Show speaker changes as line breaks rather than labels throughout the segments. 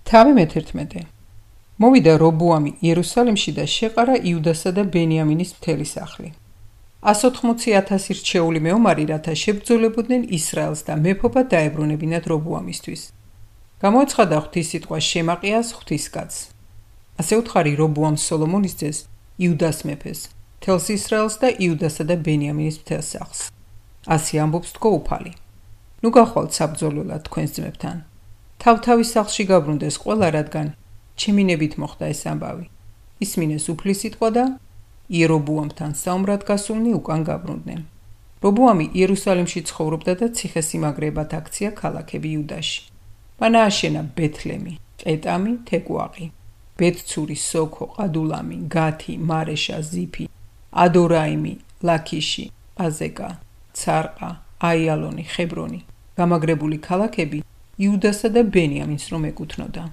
თავი მე-11. მოვიდა რობოამი იერუსალიმში და შეყარა იუდასა და ბენიამინის მთელი სახლი. 180,000 რჩეული მეომარი, რათა შებრძოლებოდნენ ისრაელს და მეფობა დაებრუნებინათ რობოამისთვის. გამოეცხადა ღვთისსიტყვა შემაყიას ღვთისკაცს. ასე უთხარი რობოამს სოლომონის ძეს, იუდას მეფეს, მთელს ისრაელს და იუდასა და ბენიამინის მთელ სახლს. ასე ამბობს თქო უფალი. ნუ გახვალთ საბრძოლველად თქვენს ძმებთან. თავ-თავის სახლში გაბრუნდეს ყველა, რადგან ჩემინებით მოხდა ეს ამბავი. ისმინეს უფლის სიტყვა და იერობოამთან საომრად გასულნი უკან გაბრუნდნენ. რობოამი იერუსალიმში ცხოვრობდა და ციხესიმაგრეებად აქცია ქალაქები იუდაში. მან ააშენა ბეთლემი, ყეტამი, თეკვაყი, ბეთცური, სოქო, ყადულამი, გათი, მარეშა, ზიფი, ადორაიმი, ლაქიში, აზეკა, ცარყა, აიალონი, ხებრონი, გამაგრებული ქალაქები იუდასა და ბენიამინს რომ ეკუთვნოდა.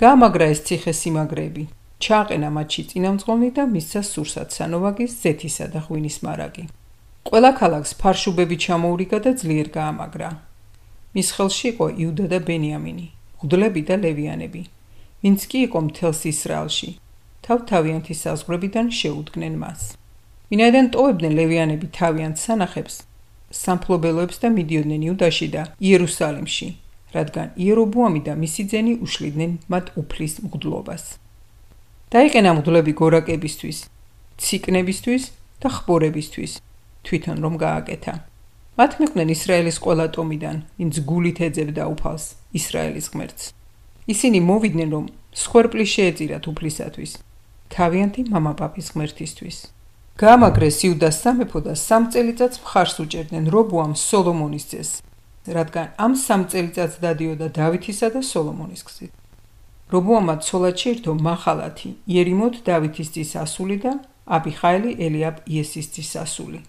გაამაგრა ეს ციხესიმაგრეები, ჩააყენა მათში წინამძღოლნი და მისცა სურსათ სანოვაგის, ზეთისა და ღვინის მარაგი. ყველა ქალაქს ფარშუბები ჩამოურიგა და ძლიერ გაამაგრა. მის ხელში იყო იუდა და ბენიამინი, მღვდლები და ლევიანები, ვინც კი იყო მთელს ისრაელში, თავ-თავიანთი საზღვრებიდან შეუდგნენ მას. ვინაიდან ტოვებდნენ ლევიანები თავიანთ სანახებს, სამფლობელოებს და მიდიოდნენ იუდაში და იერუსალიმში, რადგან იერობოამი და მისი ძენი უშლიდნენ მათ უფლის მღვდლობას. დაიყენა მღვდლები გორაკებისთვის, ციკნებისთვის და ხბორებისთვის, თვითონ რომ გააკეთა. მათ მიყვნენ ისრაელის ყველა ტომიდან, ვინც გულით ეძებდა უფალს, ისრაელის ღმერთს. ისინი მოვიდნენ, რომ მსხვერპლი შეეწირათ უფლისათვის, თავიანთი მამაპაპის ღმერთისთვის. გაამაგრეს იუდას სამეფო და 3 წელიწადს მხარს უჭერდნენ რობოამს სოლომონის ძეს, რადგან ამ 3 წელიწადს დადიოდა დავითისა და სოლომონის გზით. რობოამმა ცოლად შეირთო მახალათი, იერიმოთ დავითის ძის ასული და აბიხაელი ელიაბ იესის ძის ასული.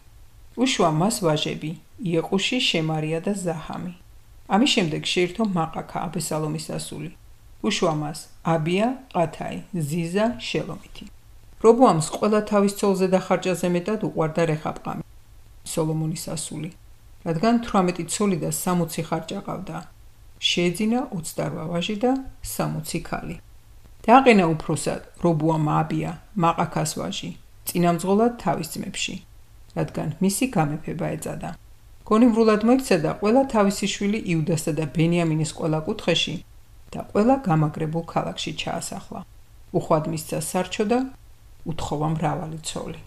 უშვა მას ვაჟები, იეყუში, შემარია და ზაჰამი. ამის შემდეგ შეირთო მაყაკა, აბესალომის ასული. უშვა მას აბია, ყათაი, ზიზა, შელომითი. რობოამს ყველა თავის ცოლზე და ხარჭაზე მეტად უყვარდა რეჰაბყამი, სოლომონის ასული, რადგან 18 ცოლი და 60 ხარჭა ყავდა. შეეძინა 28 ვაჟი და 60 ქალი. დააყენა უფროსად რობოამმა აბია, მაყაკას ვაჟი, წინამძღოლად თავის ძმებში, რადგან მისი გამეფება ეწადა. გონივრულად მოიქცა და ყველა თავისი შვილი იუდასა და ბენიამინის ყველა კუთხეში და ყველა გამაგრებულ ქალაქში ჩაასახლა. უხვად მისცა სარჩო და უთხოვა მრავალი ცოლი.